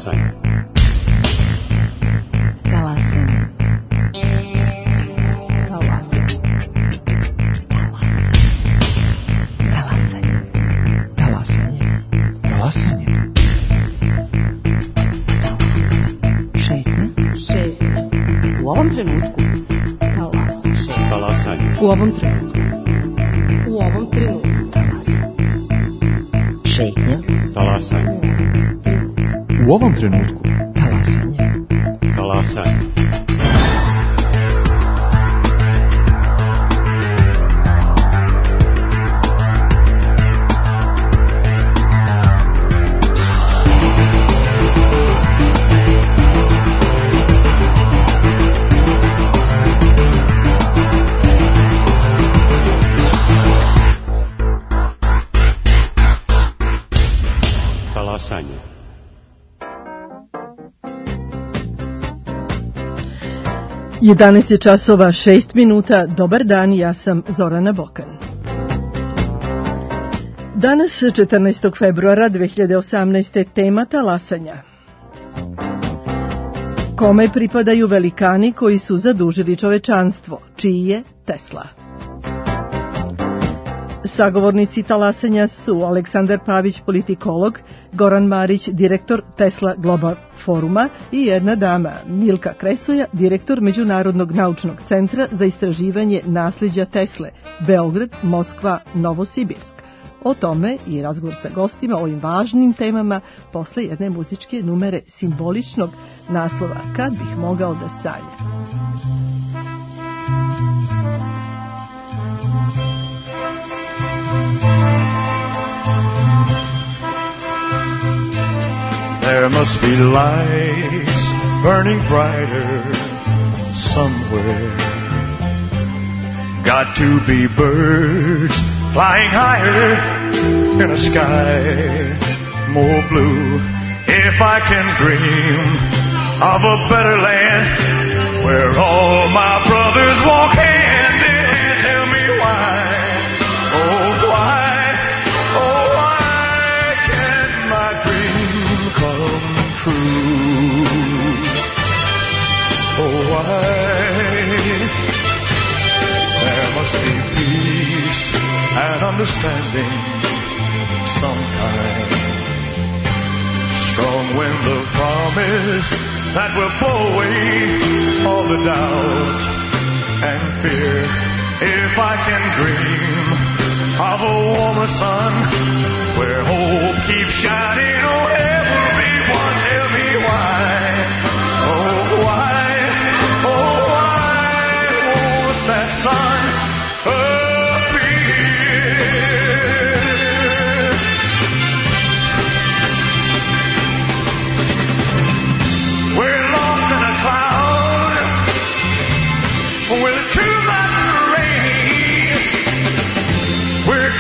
Talasanje. Talasanje. Talasanje. Talasanje. Talasanje. Šetnja. U ovom trenutku. Talasanje. U ovom trenutku. U ovom trenutku. Šetnja. Talasanje. U ovom trenutku. Talasanje. Talasanje. Talasanje. 11 je časova 6 minuta. Dobar dan, ja sam Zorana Bokan. Danas, 14. februara 2018. tema talasanja. Kome pripadaju velikani koji su zadužili čovečanstvo? Čiji je Tesla? Sagovornici talasanja su Aleksandar Pavić, politikolog, Goran Marić, direktor Tesla Global foruma i jedna dama, Milka Kresoja, direktor Međunarodnog naučnog centra za istraživanje nasleđa Tesle, Beograd, Moskva, Novosibirsk. O tome i razgovor sa gostima o ovim važnim temama posle jedne muzičke numere simboličnog naslova Kad bih mogao da sanjam. There must be lights burning brighter somewhere. Got to be birds flying higher in a sky more blue. If I can dream of a better land where all my brothers walk hand in hand, tell me why, oh why, oh why can't my dream come true? Oh why? There must be peace and understanding sometime. Strong wind of promise that will blow away all the doubt and fear. If I can dream of a warmer sun where hope keeps shining on everyone, tell me why, oh why, oh why won't that sun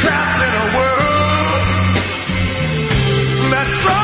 trapped in a world that's so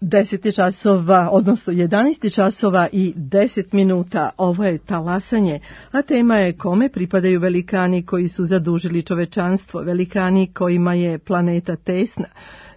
10 časova, odnosno 11 časova i 10 minuta. Ovo je Talasanje, a tema je kome pripadaju velikani koji su zadužili čovečanstvo, velikani kojima je planeta tesna,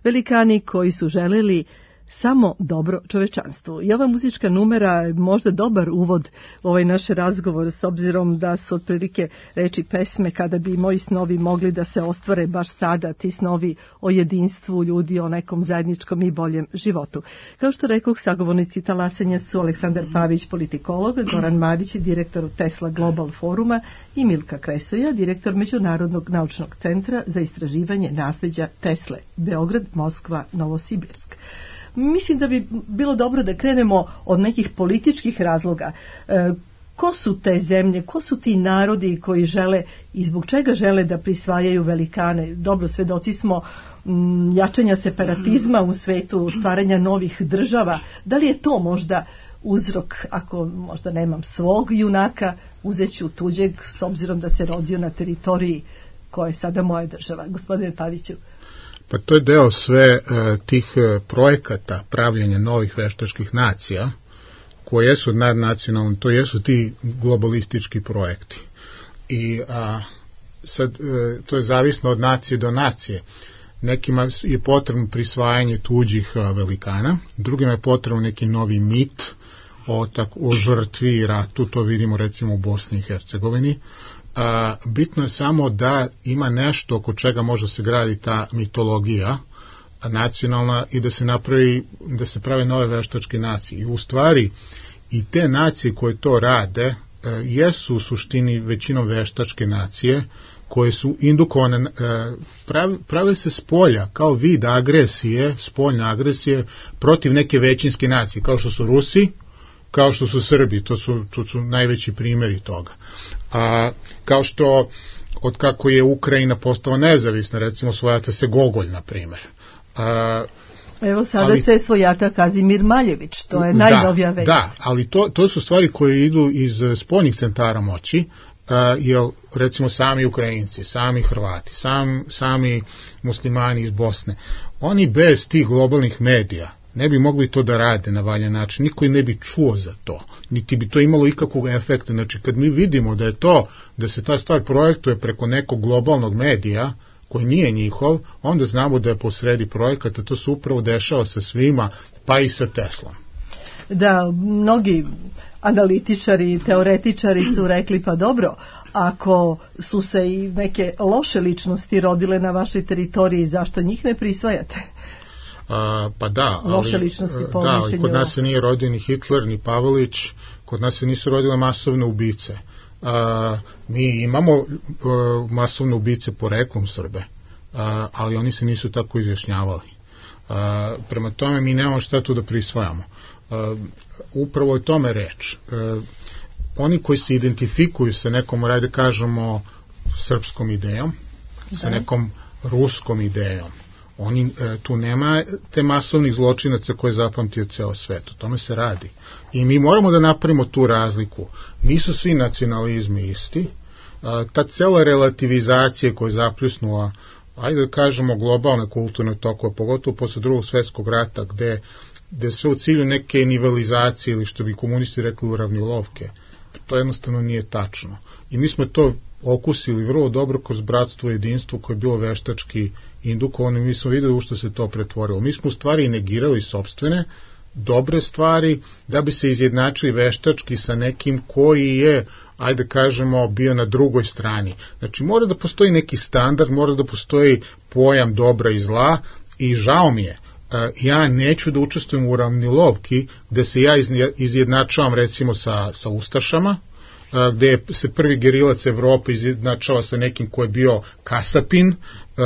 velikani koji su želeli samo dobro čovečanstvu. I ova muzička numera je možda dobar uvod u ovaj naš razgovor, s obzirom da su otprilike reči pesme kada bi moji snovi mogli da se ostvare baš sada, ti snovi o jedinstvu ljudi, o nekom zajedničkom i boljem životu. Kao što rekoh, sagovornici Talasanja su Aleksandar Pavić, politikolog, Goran Marić, direktor Tesla Global Foruma i Milka Kresoja, direktor Međunarodnog naučnog centra za istraživanje nasleđa Tesle, Beograd, Moskva, Novosibirsk. Mislim da bi bilo dobro da krenemo od nekih političkih razloga. Ko su te zemlje, ko su ti narodi koji žele i zbog čega žele da prisvajaju velikane? Dobro, svedoci smo jačanja separatizma u svetu, stvaranja novih država. Da li je to možda uzrok, ako možda nemam svog junaka, uzet ću tuđeg s obzirom da se rodio na teritoriji koja je sada moja država? Gospodine Paviću. Pa to je deo sve tih projekata pravljenja novih veštačkih nacija koje jesu nadnacionalni, to jesu ti globalistički projekti. I sad to je zavisno od nacije do nacije. Nekima je potrebno prisvajanje tuđih velikana, drugima je potrebno neki novi mit o žrtvi i ratu, to vidimo recimo u Bosni i Hercegovini. Bitno je samo da ima nešto oko čega može se graditi ta mitologija nacionalna i da se prave nove veštačke nacije. I u stvari i te nacije koje to rade jesu u suštini većinom veštačke nacije koje su indukovane, prave se s polja kao vid agresije, spoljne agresije protiv neke većinske nacije, kao što su Rusi, kao što su Srbi, to su najveći primjeri toga. Kao što od kako je Ukrajina postala nezavisna, recimo svojata se Gogolj, na primjer. Evo sada se svojata Kazimir Maljević, to je najnovija već. Da, ali to su stvari koje idu iz spoljnih centara moći, jer recimo sami Ukrajinci, sami Hrvati, sami muslimani iz Bosne, oni bez tih globalnih medija ne bi mogli to da rade na valjan način, niko ne bi čuo za to, niti bi to imalo ikakvog efekta. Znači, kad mi vidimo da se ta stvar projektuje preko nekog globalnog medija, koji nije njihov, onda znamo da je posredi projekata, to se upravo dešava sa svima, pa i sa Teslom. Da, mnogi analitičari i teoretičari su rekli, pa dobro, ako su se i neke loše ličnosti rodile na vašoj teritoriji, zašto njih ne prisvajate? Pa da, ali kod nas se nije rodio ni Hitler, ni Pavelić, kod nas se nisu rodile masovne ubice. Mi imamo masovne ubice poreklom Srbe, ali oni se nisu tako izjašnjavali. Prema tome mi nemamo šta tu da prisvajamo. Upravo je tome reč. Oni koji se identifikuju sa nekom, da kažemo, srpskom idejom, sa nekom ruskom idejom, tu nema te masovnih zločinaca koje je zapamtio ceo svet, o tome se radi. I mi moramo da napravimo tu razliku. Nisu svi nacionalizmi isti, ta cela relativizacija koja je zapljusnula, ajde da kažemo, globalne kulturne tokove, pogotovo posle Drugog svjetskog rata, gde sve u cilju neke nivelizacije ili što bi komunisti rekli uravnilovke, to jednostavno nije tačno. I mi smo to okusili vrlo dobro kroz bratstvo i jedinstvo koje je bilo veštački indukovano i mi smo videli u što se to pretvorilo. Mi smo u stvari negirali sopstvene dobre stvari da bi se izjednačili veštački sa nekim koji je, ajde kažemo, bio na drugoj strani. Znači mora da postoji neki standard, mora da postoji pojam dobra i zla i žao mi je. Ja neću da učestvujem u uravnilovki gde se ja izjednačavam recimo sa ustašama, gde se prvi gerilac Evrope izjednačava sa nekim ko je bio kasapin,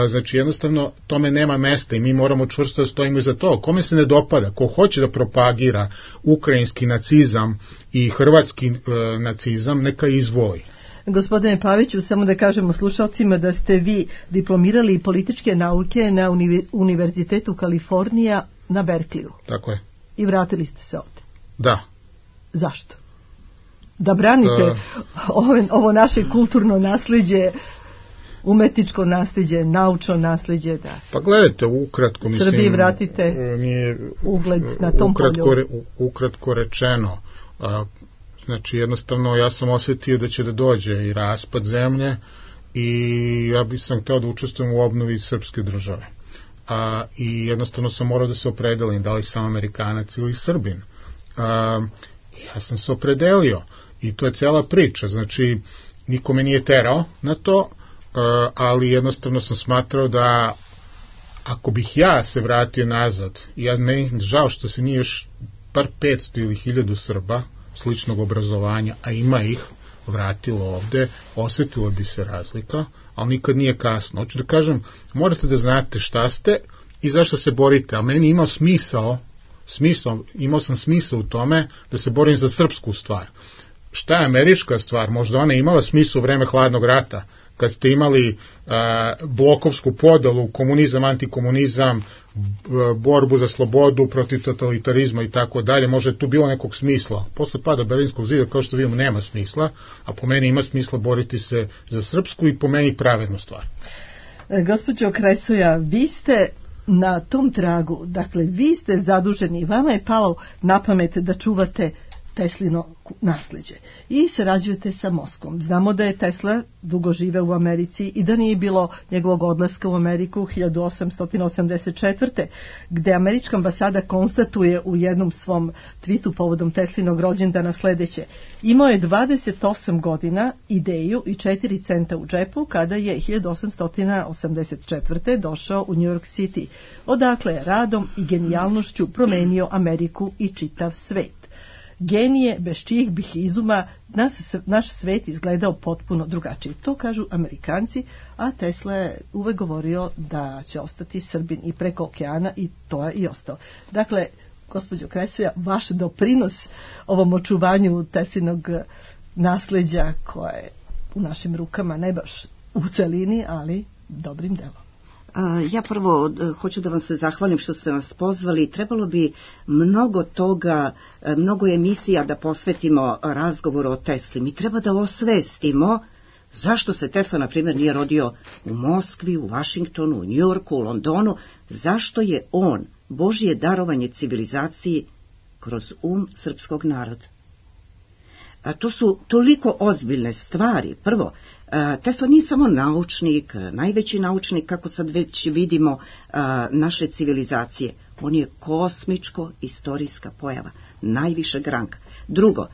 znači jednostavno tome nema mesta i mi moramo čvrsto da stojimo iza toga. Kome se ne dopada, ko hoće da propagira ukrajinski nacizam i hrvatski nacizam, neka izvoli. Gospodine Paviću, samo da kažemo slušalcima da ste vi diplomirali političke nauke na Univerzitetu Kalifornija na Berkliju. Tako je. I vratili ste se ovde. Da. Zašto? Da branite ovo naše kulturno nasleđe? umetničko nasljeđe, naučno nasljeđe, da. Pa gledajte, ukratko, mislim, Srbiji vratite ugled na tom polju. Ukratko rečeno, znači jednostavno ja sam osjetio da će da dođe i raspad zemlje i ja bih sam hteo da učestvujem u obnovi srpske države. I jednostavno sam morao da se opredelim, da li sam Amerikanac ili Srbin. Ja sam se opredelio i to je cela priča, znači niko me nije terao na to, ali jednostavno sam smatrao da ako bih ja se vratio nazad, ja meni žao što se nije još par 500 ili 1000 Srba sličnog obrazovanja, a ima ih, vratilo ovde, osetila bi se razlika, ali nikad nije kasno. Hoću da kažem, morate da znate šta ste i zašto se borite, a meni imao imao sam smisao u tome da se borim za srpsku stvar. Šta je američka stvar? Možda ona imala smisla u vreme hladnog rata, kad ste imali blokovsku podelu, komunizam, antikomunizam, borbu za slobodu protiv totalitarizma i tako dalje, možda je tu bilo nekog smisla. Posle pada Berlinskog zida, kao što vidimo, nema smisla, a po meni ima smisla boriti se za srpsku i po meni pravednu stvar. Gospođo Kresoja, vi ste na tom tragu, dakle, vi ste zaduženi, vama je palo na pamet da čuvate Teslino nasljeđe i sarađujete sa Moskvom. Znamo da je Tesla dugo živeo u Americi i da nije bilo njegovog odlaska u Ameriku 1884. gde američka ambasada konstatuje u jednom svom twitu povodom Teslinog rođendana sledeće: imao je 28 godina, ideju i 4 centa u džepu kada je 1884. došao u New York City, odakle je radom i genijalnošću promenio Ameriku i čitav svet. Genije bez čijih bih izuma naš svet izgledao potpuno drugačije. To kažu Amerikanci, a Tesla je uvek govorio da će ostati Srbin i preko okeana i to je i ostao. Dakle, gospođo Kresoja, vaš doprinos ovom očuvanju Teslinog nasleđa koje je u našim rukama, ne baš u celini, ali dobrim delom. Ja prvo hoću da vam se zahvalim što ste nas pozvali. Trebalo bi mnogo toga, mnogo emisija da posvetimo razgovoru o Tesli. Mi treba da osvestimo zašto se Tesla, na primjer, nije rodio u Moskvi, u Vašingtonu, u Njujorku, u Londonu, zašto je on Božje darovanje civilizaciji kroz srpskog naroda. To su toliko ozbiljne stvari. Prvo, Tesla nije samo naučnik, najveći naučnik, kako sad već vidimo, naše civilizacije. On je kosmičko-istorijska pojava, najvišeg ranga. Drugo,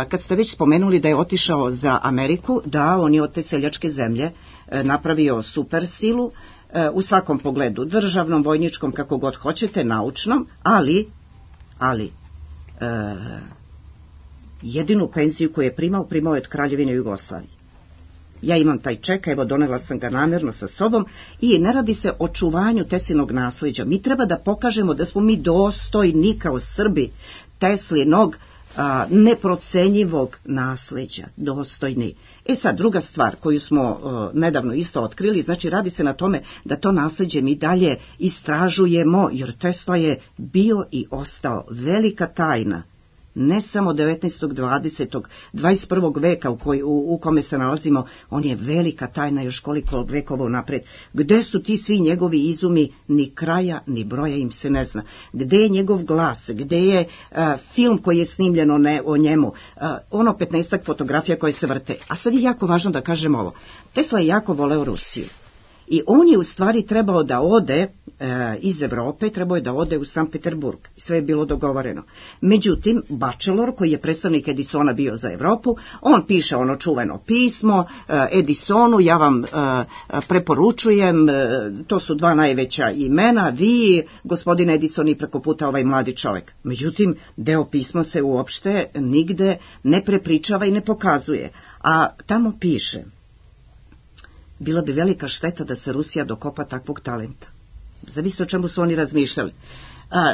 kad ste već spomenuli da je otišao za Ameriku, da, on je od te seljačke zemlje napravio super silu, u svakom pogledu, državnom, vojničkom, kako god hoćete, naučnom, ali jedinu penziju koju je primao je od Kraljevine Jugoslavije. Ja imam taj ček, evo donela sam ga namjerno sa sobom i ne radi se o čuvanju Teslinog nasleđa. Mi treba da pokažemo da smo mi dostojni kao Srbi Teslinog neprocenjivog nasleđa, dostojni. Sad, druga stvar koju smo nedavno isto otkrili, znači radi se na tome da to nasleđe mi dalje istražujemo, jer Tesla je bio i ostao velika tajna, ne samo 19. 20. 21. veka u kome se nalazimo, on je velika tajna još koliko vekova napred. Gde su ti svi njegovi izumi, ni kraja, ni broja im se ne zna. Gde je njegov glas, gde je film koji je snimljen o njemu, 15 fotografija koje se vrte. A sad je jako važno da kažem ovo. Tesla je jako voleo Rusiju. I on je u stvari trebao da ode iz Evrope, trebao je da ode u Sankt Peterburg. Sve je bilo dogovoreno. Međutim, Batchelor, koji je predstavnik Edisona bio za Evropu, on piše ono čuveno pismo Edisonu: ja vam preporučujem, to su dva najveća imena, vi, gospodin Edison, i preko puta ovaj mladi čovjek. Međutim, deo pisma se uopšte nigde ne prepričava i ne pokazuje. A tamo piše: bila bi velika šteta da se Rusija dokopa takvog talenta. Zavisno o čemu su oni razmišljali.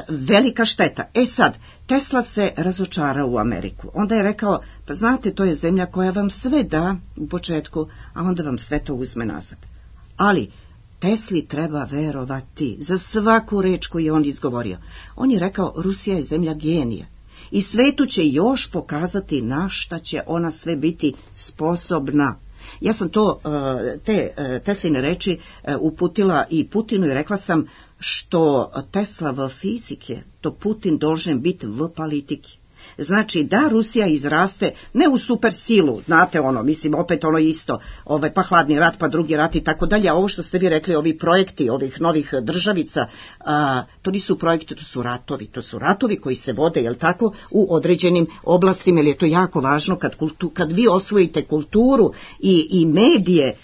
Velika šteta. Sad, Tesla se razočarao u Ameriku. Onda je rekao: pa znate, to je zemlja koja vam sve da u početku, a onda vam sve to uzme nazad. Ali Tesli treba verovati za svaku reč koju je on izgovorio. On je rekao: Rusija je zemlja genija i svetu će još pokazati na šta će ona sve biti sposobna. Ja sam te Tesline reči uputila i Putinu i rekla sam što Tesla v fizike, to Putin должен biti v politiki. Znači da Rusija izraste ne u super silu, znate mislim opet isto, pa hladni rat, pa drugi rat i tako dalje, a ovo što ste vi rekli, ovi projekti ovih novih državica, to nisu projekti, to su ratovi koji se vode, jel tako, u određenim oblastima, jer je to jako važno kad vi osvojite kulturu i medije,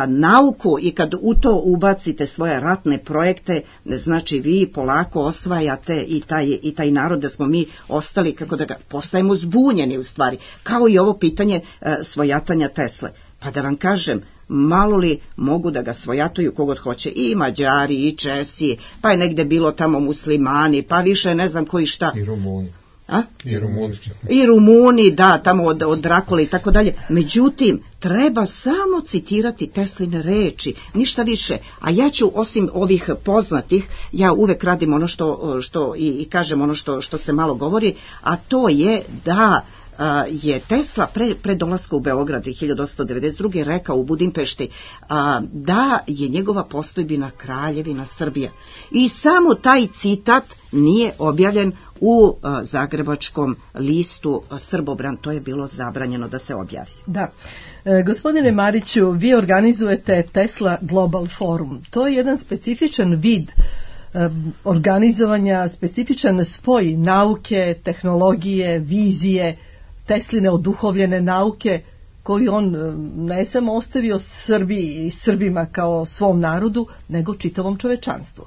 nauku i kad u to ubacite svoje ratne projekte, znači vi polako osvajate i taj narod, da smo mi ostali, kako da ga postajemo zbunjeni u stvari, kao i ovo pitanje svojatanja Tesle. Pa da vam kažem, malo li mogu da ga svojatuju kogod hoće, i Mađari, i Česi, pa je negde bilo tamo muslimani, pa više ne znam koji šta. I Rumuni. I Rumuni, da, tamo od Drakule i tako dalje. Međutim, treba samo citirati Tesline reči, ništa više. A ja ću, osim ovih poznatih, ja uvek radim ono što i kažem ono što se malo govori, a to je da je Tesla pre dolaska u Beograd 1892. rekao u Budimpešti da je njegova postojbina Kraljevina Srbija. I samo taj citat nije objavljen u zagrebačkom listu Srbobran, to je bilo zabranjeno da se objavi. Da. Gospodine Mariću, vi organizujete Tesla Global Forum. To je jedan specifičan vid organizovanja, specifičan spoj nauke, tehnologije, vizije, Tesline oduhovljene nauke, koju on ne samo ostavio Srbiji i Srbima kao svom narodu, nego čitavom čovečanstvu.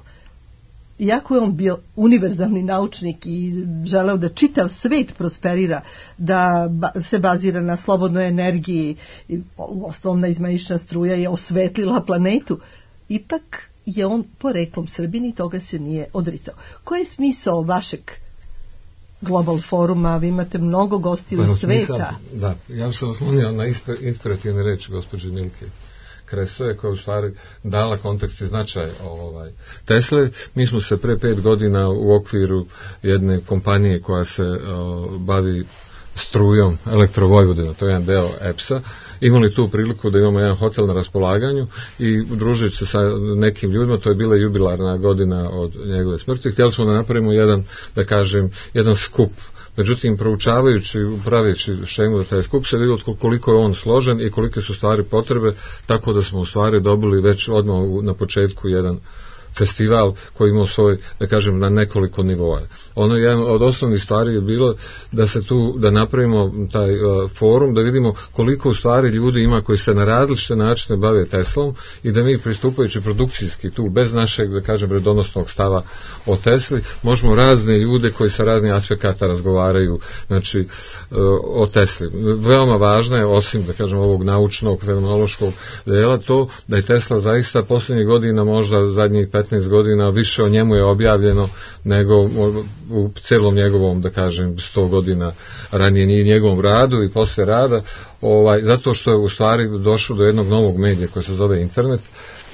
Iako je on bio univerzalni naučnik i želeo da čitav svet prosperira, da se bazira na slobodnoj energiji, uostalom izmaišna struja je osvetlila planetu, ipak je on poreklom Srbin i toga se nije odricao. Koji je smisao vašeg Global foruma? Vi imate mnogo gostiju iz sveta. Da, ja sam oslonio na inspirativne reči gospođe Milke Kresoje, koja u stvari dala kontekst i značaj Tesle. Mi smo se pre 5 godina u okviru jedne kompanije koja se bavi strujom, Elektrovojvodina, to je jedan deo EPS-a, imali tu priliku da imamo jedan hotel na raspolaganju i udružujući se sa nekim ljudima, to je bila jubilarna godina od njegove smrti, htjeli smo da napravimo jedan skup. Međutim, proučavajući, praveći šemu za taj skup, se vidio koliko je on složen i kolike su stvari potrebe, tako da smo u stvari dobili već odmah na početku jedan festival koji imao svoj, na nekoliko nivoa. Ono je od osnovnih stvari je bilo da napravimo taj forum, da vidimo koliko u stvari ljudi ima koji se na različite načine bave Teslom i da mi pristupajući produkcijski tu, bez našeg, redonosnog stava o Tesli, možemo razne ljude koji sa raznih aspekata razgovaraju, o Tesli. Veoma važno je, osim, ovog naučnog, fenomenološkog dela, to da je Tesla zaista posljednjih godina, možda zadnjih 15 godina, više o njemu je objavljeno nego u celom njegovom, 100 godina ranije i njegovom radu i posle rada, zato što je u stvari došlo do jednog novog medija koji se zove internet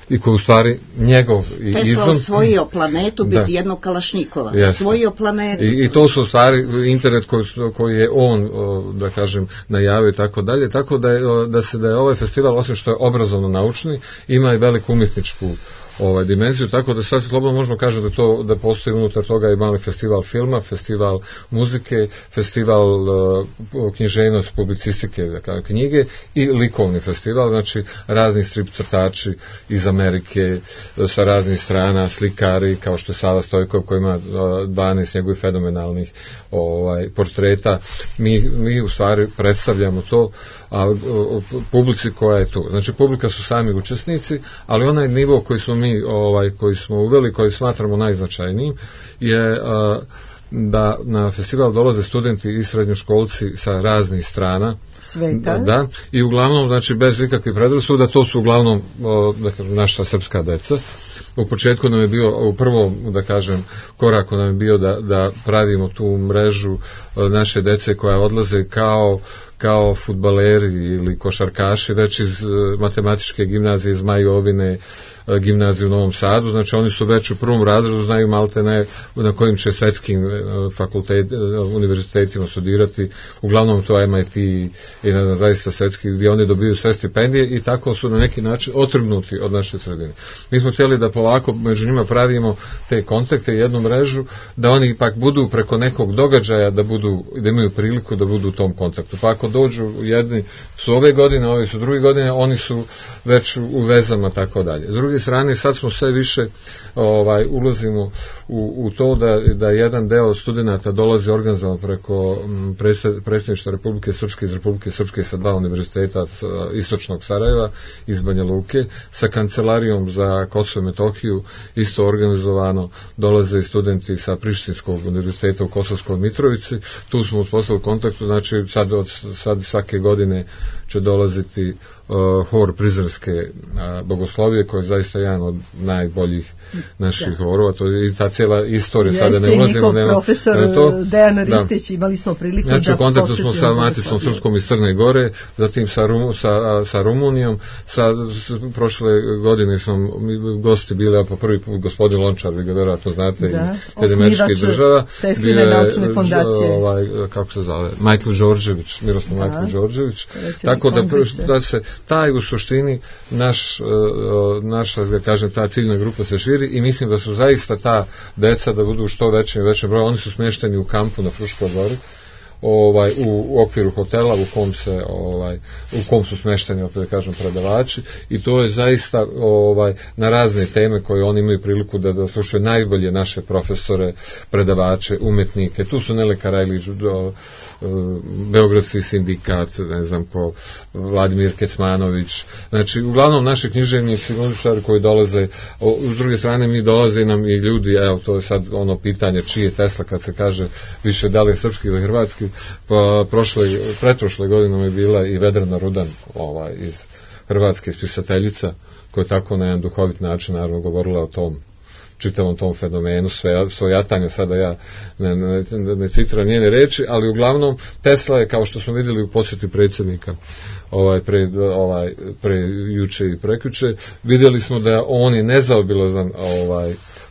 i koji u stvari njegov Tesla osvojio planetu bez jednog kalašnikova. Osvojio planetu. I to su u stvari internet koji je on, najavio i tako dalje, tako da je ovaj festival, osim što je obrazovno naučni, ima i veliku umjetničku dimenziju, tako da sad slobodno možemo kažem da postoji unutar toga i mali festival filma, festival muzike, festival književnosti, publicistike, knjige i likovni festival, znači razni strip crtači iz Amerike, sa raznih strana, slikari kao što je Sava Stojkov koji ima 12 njegovih fenomenalnih portreta. Mi u stvari predstavljamo to publici koja je tu. Znači publika su sami učesnici, ali onaj nivo koji smo mi koji smo uveli, koji smatramo najznačajnijim, je da na festival dolaze studenti i srednjoškolci sa raznih strana sveta. Da, i uglavnom, bez ikakvih predrasuda, to su uglavnom naša srpska deca. U početku nam je bio, u prvom, koraku nam je bio da pravimo tu mrežu naše dece koja odlaze kao fudbaleri ili košarkaši, već iz matematičke gimnazije iz Majovine, gimnaziju u Novom Sadu, znači oni su već u prvom razredu, znaju malte ne na kojim će svetskim univerzitetima studirati, uglavnom to MIT i ne znam, zaista svetski, gdje oni dobiju sve stipendije i tako su na neki način otrgnuti od naše sredine. Mi smo htjeli da polako među njima pravimo te kontakte i jednu mrežu, da oni ipak budu preko nekog događaja, da imaju priliku da budu u tom kontaktu. Pa ako dođu, jedni su ove godine, ovi su druge godine, oni su već u vezama, tako dalje. S druge strane, sad smo sve više ulazimo u to da jedan deo studenata dolazi organizovano preko predsjedništva Republike Srpske iz Republike Srpske sa 2 univerziteta istočnog Sarajeva, iz Banja Luke, sa kancelarijom za Kosovo i Metohiju, isto organizovano dolaze i studenti sa Prištinskog univerziteta u Kosovskoj Mitrovici. Tu smo uspostavili kontaktu, znači sad svake godine će dolaziti hor Prizrenske bogoslovije, koji je zaista jedan od najboljih naših horova, to je i ta cijela istorija, sada ne ulazimo. Jeste, njihov profesor Dejan Ristić, imali smo priliku da posjetimo. Znači, u kontaktu smo sa Maticom Srpskom iz Crne Gore, zatim sa Rumunijom, prošle godine smo gosti bili, pa prvi put gospodin Lončar, vi ga vjerojatno znate, iz američkih država, bio je, kako se zove, Michael Đorđević, Miroslav Michael Đorđević, tako da se taj u suštini naša, da kažem, ta ciljna grupa se širi i mislim da su zaista ta deca da budu što većem i većem broju. Oni su smješteni u kampu na Fruškoj gori, u okviru hotela u kom su smješteni, opet da kažem, predavači, i to je zaista na razne teme koje oni imaju priliku da slušaju najbolje naše profesore, predavače, umetnike. Tu su Nele Karajlić, Beogradski sindikat, ne znam ko, Vladimir Kecmanović, znači uglavnom naši književnici koji dolaze. S druge strane mi dolaze nam i ljudi, evo to je sad ono pitanje čiji je Tesla, kad se kaže više da li je srpski ili hrvatski. Pa pretprošle godine je bila i Vedrana Rudan iz Hrvatske, spisateljica, koja je tako na jedan duhovit način naravno govorila o tom čitavom tom fenomenu svojatanja, sada ja ne citiram njene reči, ali uglavnom Tesla je, kao što smo vidjeli u posjeti predsjednika pre juče i prekjuče, vidjeli smo da on je nezaobilazan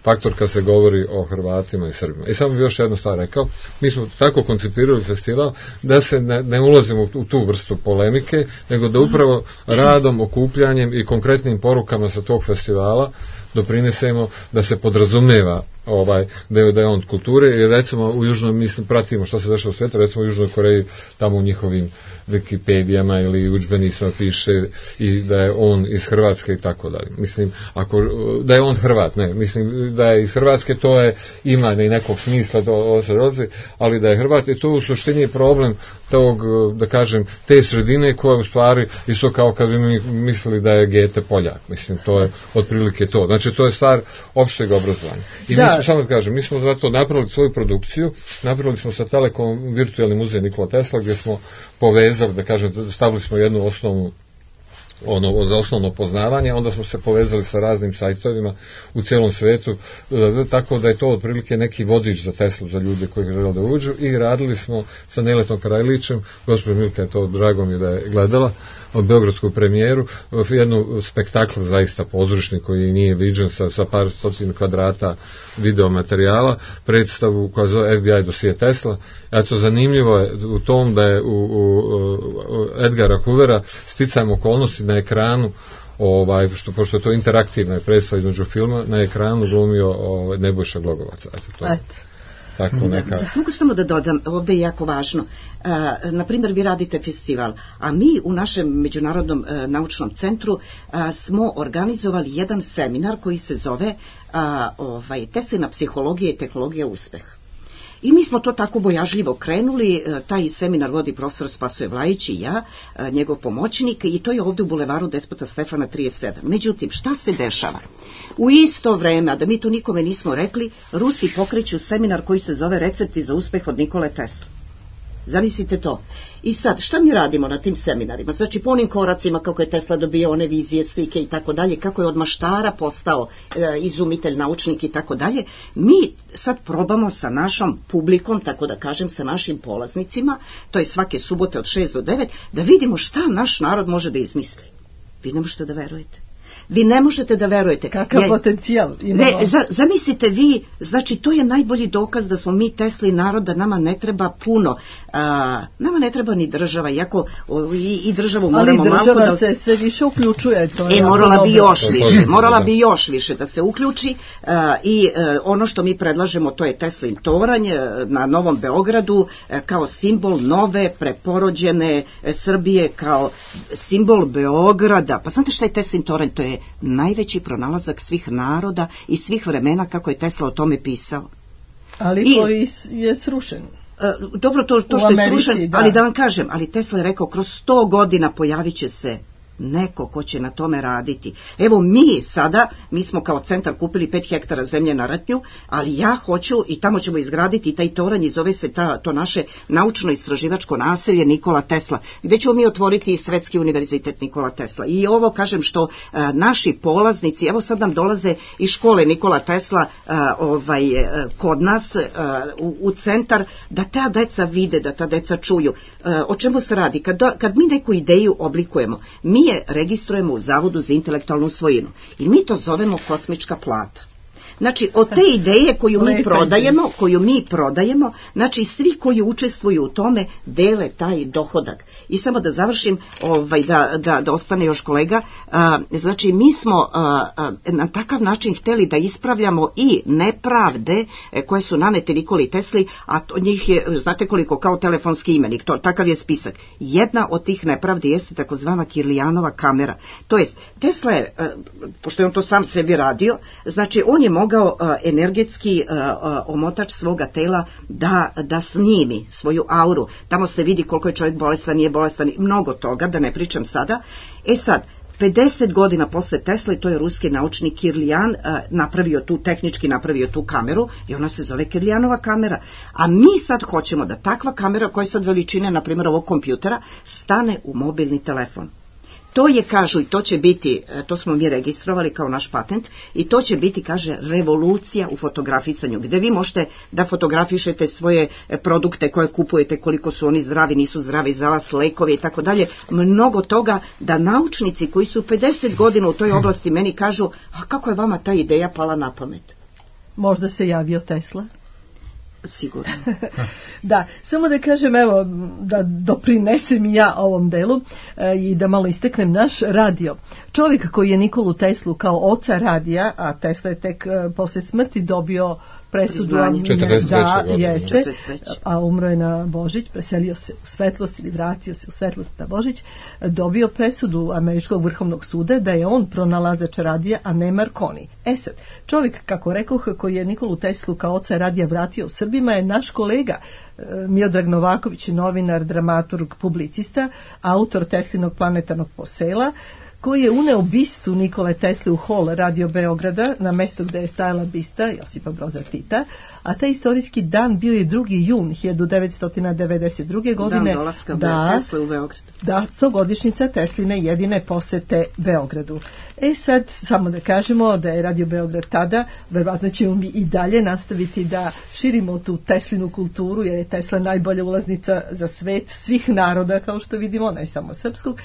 faktor kad se govori o Hrvatima i Srbima. I samo bi još jednu stvar rekao, mi smo tako koncipirali festival da se ne ulazimo u tu vrstu polemike, nego da upravo radom, okupljanjem i konkretnim porukama sa tog festivala doprinesemo da se podrazumijeva da je on kulture, jer recimo u Južnoj, mislim, pratimo što se dešava u svijetu, recimo u Južnoj Koreji, tamo u njihovim Wikipedijama ili udžbenicima piše i da je on iz Hrvatske i tako dalje. Mislim, da je on Hrvat, ne, mislim da je iz Hrvatske, to je, ima i nekog smisla, ali da je Hrvat, i to u suštini je problem tog, da kažem, te sredine koja u stvari isto kao kad bi mi mislili da je Gete Poljak, mislim, to je otprilike to. Znači, to je stvar opšteg obrazovanja. I mi smo, samo da kažem, mi smo zato napravili svoju produkciju, napravili smo sa Telekom virtualni muzej Nikola Tesla, gdje smo povezali, da kažem, stavili smo jednu osnovno poznavanje, onda smo se povezali sa raznim sajtovima u cijelom svetu, tako da je to otprilike neki vodič za Teslu, za ljude koji žele da uđu, i radili smo sa Neletom Karajlićem, gospođa Milka je to, drago mi da je gledala, od beogradsku premijeru, jednu spektakl zaista pozorišni koji nije viđen sa par stotina kvadrata video materijala, predstavu koja zove FBI dosije Tesla. Eto, zanimljivo je u tom da je u Edgara Hoovera sticajem okolnosti na ekranu, pošto je to interaktivna predstava između filma, na ekranu glumio Nebojša Glogovac. Tako neka. Mogu samo da dodam, ovdje je jako važno. Na primjer, vi radite festival, a mi u našem Međunarodnom naučnom centru smo organizovali jedan seminar koji se zove Teslina psihologija i tehnologija uspeha. I mi smo to tako bojažljivo krenuli, taj seminar vodi profesor Spasoje Vlajić i ja, njegov pomoćnik, i to je ovdje u bulevaru Despota Stefana 37. Međutim, šta se dešava? U isto vreme, a da mi to nikome nismo rekli, Rusi pokreću seminar koji se zove Recepti za uspeh od Nikole Tesla. Zamislite to. I sad, šta mi radimo na tim seminarima? Znači, po onim koracima kako je Tesla dobio one vizije, slike i tako dalje, kako je od maštara postao izumitelj, naučnik i tako dalje, mi sad probamo sa našom publikom, tako da kažem, sa našim polaznicima, to je svake subote od 6 do 9, da vidimo šta naš narod može da izmisli. Vi ne možete da verujete. Vi ne možete da verujete. Kakav potencijal imamo. Zamislite vi, znači to je najbolji dokaz da smo mi Tesli narod, da nama ne treba puno. Nama ne treba ni država, iako i državu moramo malo da... Ali država se sve više uključuje. To je morala bi još više da se uključi i ono što mi predlažemo, to je Teslin toranj na Novom Beogradu kao simbol nove, preporođene Srbije, kao simbol Beograda. Pa znate šta je Teslin toranj? To je najveći pronalazak svih naroda i svih vremena, kako je Tesla o tome pisao. Ali koji je srušen. Dobro, to što je srušen, ali da vam kažem, ali Tesla je rekao, kroz 100 godina pojavit će se neko ko će na tome raditi. Evo mi smo kao centar kupili 5 hektara zemlje na Ratnju, ali ja hoću i tamo ćemo izgraditi taj toranj i zove se to naše naučno-istraživačko naselje Nikola Tesla, gde ćemo mi otvoriti i Svetski univerzitet Nikola Tesla. I ovo kažem što naši polaznici, evo sad nam dolaze iz škole Nikola Tesla kod nas u centar, da ta deca vide, da ta deca čuju. O čemu se radi? Kad mi neku ideju oblikujemo, mi je registrujemo u Zavodu za intelektualnu svojinu i mi to zovemo kosmička plata. Znači, od te ideje koju mi prodajemo, znači svi koji učestvuju u tome dele taj dohodak. I samo da završim, da ostane još kolega, znači mi smo na takav način hteli da ispravljamo i nepravde koje su nanete Nikoli Tesli, a njih je, znate koliko, kao telefonski imenik, takav je spisak. Jedna od tih nepravdi jeste takozvana Kirlijanova kamera. To jest, Tesla je, pošto je on to sam sebi radio, znači on je mogao energetski omotač svoga tela da snimi svoju auru. Tamo se vidi koliko je čovjek bolestan, nije bolestan, mnogo toga, da ne pričam sada. Sad, 50 godina posle Tesle, to je ruski naučnik Kirlijan tehnički napravio tu kameru i ona se zove Kirlijanova kamera. A mi sad hoćemo da takva kamera, koja je sad veličine, na primjer, ovog kompjutera, stane u mobilni telefon. To je, kažu, i to će biti, to smo mi registrovali kao naš patent, i to će biti, kaže, revolucija u fotografisanju, gde vi možete da fotografišete svoje produkte koje kupujete, koliko su oni zdravi, nisu zdravi za vas, lekove i tako dalje, mnogo toga, da naučnici koji su 50 godina u toj oblasti meni kažu, a kako je vama ta ideja pala na pamet? Možda se javio Tesla? Sigurno. Da, samo da kažem, evo, da doprinesem i ja ovom delu i da malo isteknem naš radio. Čovjek koji je Nikolu Teslu kao oca radija, a Tesla je tek posle smrti dobio presudu, 43. A umro je na Božić, preselio se u svetlost ili vratio se u svetlost na Božić, dobio presudu Američkog vrhovnog suda da je on pronalazač radija, a ne Marconi. Sad, čovjek, kako rekoh, koji je Nikolu Teslu kao oca radija vratio Srbima je naš kolega Miodrag Novaković, novinar, dramaturg, publicista, autor Teslinog planetarnog posela, koji je uneo bistu Nikole Tesle u hol Radio Beograda, na mesto gde je stajala bista Josipa Broza Tita, a taj istorijski dan bio je 2. jun 1992. godine. Dan dolaska Tesle u Beograd. Da, 100-godišnjica Tesline jedine posete Beogradu. Sad, samo da kažemo da je Radio Beograd tada, verovatno ćemo mi i dalje nastaviti da širimo tu Teslinu kulturu, jer je Tesla najbolja ulaznica za svet svih naroda, kao što vidimo, ne samo srpskog.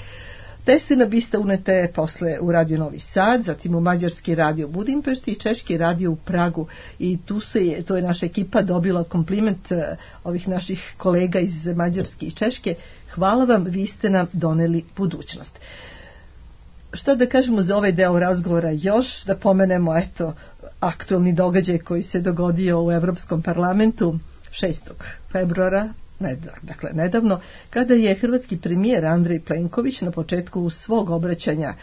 Teslina bista unete je posle u Radio Novi Sad, zatim u Mađarski radio u Budimpešti i Češki radio u Pragu, i to je naša ekipa dobila kompliment ovih naših kolega iz Mađarske i Češke. Hvala vam, vi ste nam doneli budućnost. Šta da kažemo za ovaj deo razgovora još? Da pomenemo, aktualni događaj koji se dogodio u Evropskom parlamentu 6. februara, dakle nedavno, kada je hrvatski premijer Andrej Plenković na početku svog obraćanja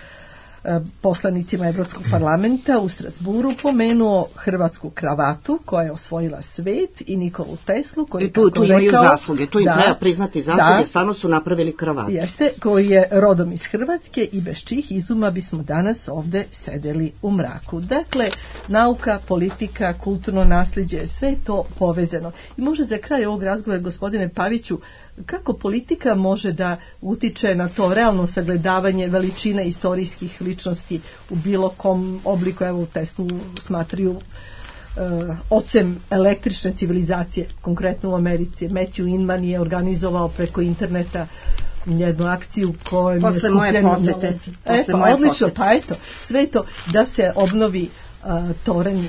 poslanicima Evropskog parlamenta u Strasburu pomenuo hrvatsku kravatu koja je osvojila svet i Nikolu Teslu koji je tu imaju zasluge, tu im treba priznati zasluge, stvarno su napravili kravatu. Jeste, koji je rodom iz Hrvatske i bez čijih izuma bismo danas ovde sedeli u mraku. Dakle, nauka, politika, kulturno nasljeđe, sve je to povezano. I možda za kraj ovog razgovora, gospodine Paviću, kako politika može da utiče na to realno sagledavanje veličine istorijskih ličnosti u bilo kom obliku? Evo, Teslu smatraju ocem električne civilizacije, konkretno u Americi. Matthew Inman je organizovao preko interneta jednu akciju kojom posle moje posete. Odlično, pa eto, sve to da se obnovi toranj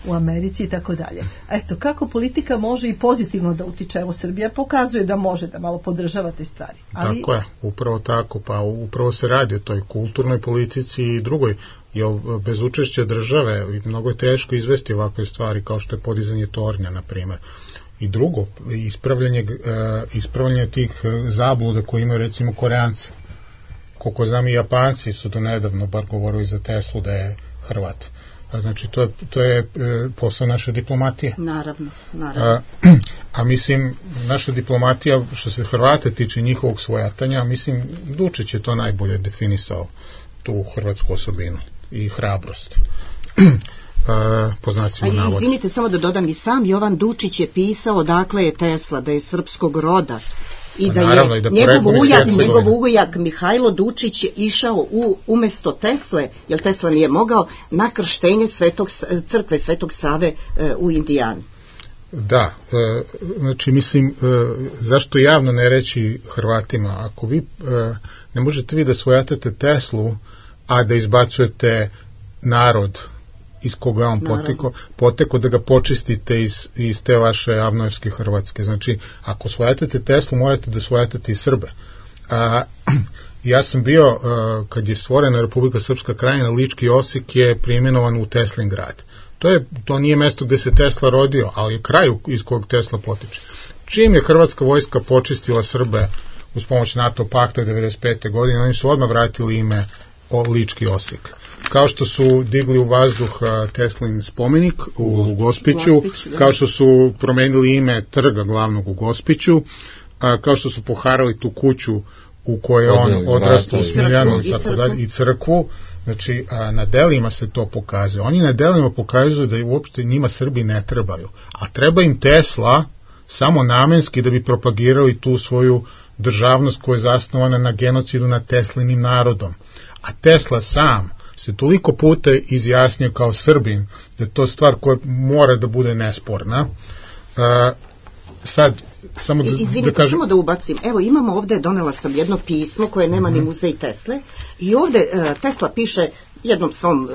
u Americi i tako dalje. Eto, kako politika može i pozitivno da utiče? Evo, Srbija pokazuje da može, da malo podržava te stvari. Ali... Tako je, upravo tako, pa upravo se radi o toj kulturnoj politici i drugoj, jer bez učešća države mnogo je teško izvesti ovakve stvari kao što je podizanje tornja, na primjer. I drugo, ispravljanje tih zabluda koje imaju recimo Koreanci. Koliko znam i Japanci su do nedavno bar govorili za Teslu da je Hrvat. Znači, to je posao naše diplomatije. Naravno. A mislim, naša diplomatija, što se Hrvata tiče njihovog svojatanja, mislim, Dučić je to najbolje definisao, tu hrvatsku osobinu i hrabrost. Po znacima navoda. Izvinite, samo da dodam, i sam Jovan Dučić je pisao dakle je Tesla, da je srpskog roda. I da je njegov ujak Mihajlo Dučić išao umesto Tesle, jer Tesla nije mogao, na krštenje crkve Svetog Save u Indijani. Da, znači mislim, zašto javno ne reći Hrvatima, ako vi ne možete vi da svojatate Teslu, a da izbacujete narod iz koga on poteko, da ga počistite iz te vaše avnojevske Hrvatske. Znači, ako svojatate Teslu, morate da svojatate i Srbe. Ja sam bio, kad je stvorena Republika Srpska Krajina, Lički Osijek je preimenovan u Teslin grad. To nije mesto gde se Tesla rodio, ali je kraj iz kojeg Tesla potiče. Čim je hrvatska vojska počistila Srbe uz pomoć NATO pakta 1995. godine, oni su odmah vratili ime Lički Osijek. Kao što su digli u vazduh Teslin spomenik u Gospiću, kao što su promenili ime trga glavnog u Gospiću, kao što su poharali tu kuću u kojoj on odrastao u Smiljanu i crkvu. Znači, na delima se to pokazuje. Oni na delima pokazuju da uopšte njima Srbi ne trebaju, a treba im Tesla samo namenski da bi propagirali tu svoju državnost koja je zasnovana na genocidu nad Teslinim narodom. A Tesla sam se toliko puta izjasnio kao Srbin da je to stvar koja mora da bude nesporna. Sad, samo da kažem... Samo da ubacim. Evo, imamo ovde, donela sam jedno pismo koje nema ni muzej Tesle i ovde Tesla piše jednom svom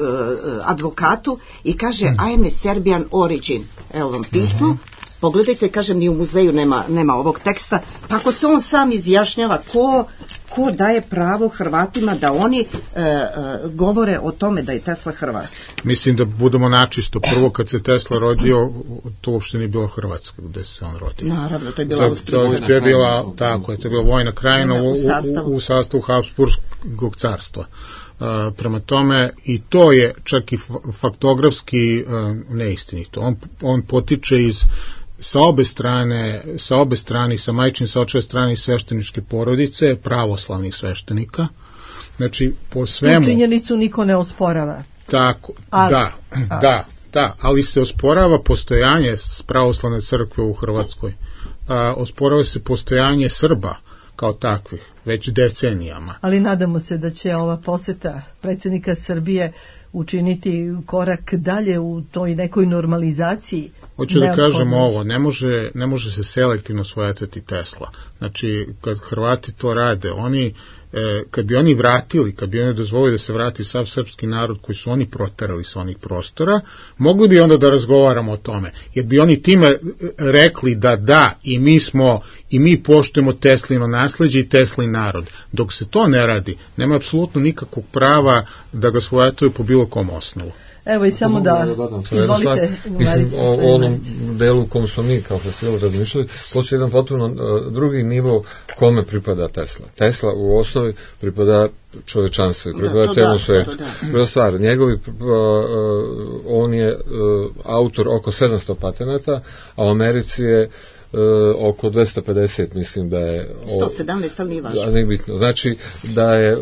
advokatu i kaže I am a Serbian origin. Evo vam pismo. Pogledajte, kažem, ni u muzeju nema ovog teksta. Pa ako se on sam izjašnjava, ko daje pravo Hrvatima da oni govore o tome da je Tesla Hrvat? Mislim da budemo načisto. Prvo, kad se Tesla rodio, to uopšte nije bilo Hrvatska gde se on rodio. Naravno, to je bila Austrijska. To je bila, tako je, to je bila vojna krajina u sastavu Habsburgskog carstva. Prema tome, i to je čak i faktografski neistinito. On potiče sa obe strane, sa majčine, sa očeve strane i svešteničke porodice, pravoslavnih sveštenika. Znači, po svemu... Činjenicu niko ne osporava. Tako, da, ali se osporava postojanje pravoslavne crkve u Hrvatskoj. Osporava se postojanje Srba kao takvih, već decenijama. Ali nadamo se da će ova poseta predsjednika Srbije učiniti korak dalje u toj nekoj normalizaciji. Hoću da kažem ovo, ne može se selektivno svojatati Tesla. Znači, kad Hrvati to rade, kad bi oni dozvolili da se vrati sav srpski narod koji su oni proterali sa onih prostora, mogli bi onda da razgovaramo o tome. Jer bi oni time rekli da, i mi poštujemo Teslino nasleđe i Teslin narod. Dok se to ne radi, nema apsolutno nikakvog prava da ga svojatuju po bilo kom osnovu. Evo i samo da izvolite. Mislim, o onom delu u kom smo mi kao festival razmišljali, postoji jedan potpuno drugi nivo kome pripada Tesla. Tesla u osnovi pripada čovečanstvu i prema cijelom svijetu. Prva stvar, njegovi, on je autor oko 700 patenata, a u Americi je oko 250, mislim da je 117, ali nije važno. Nije bitno. Znači da je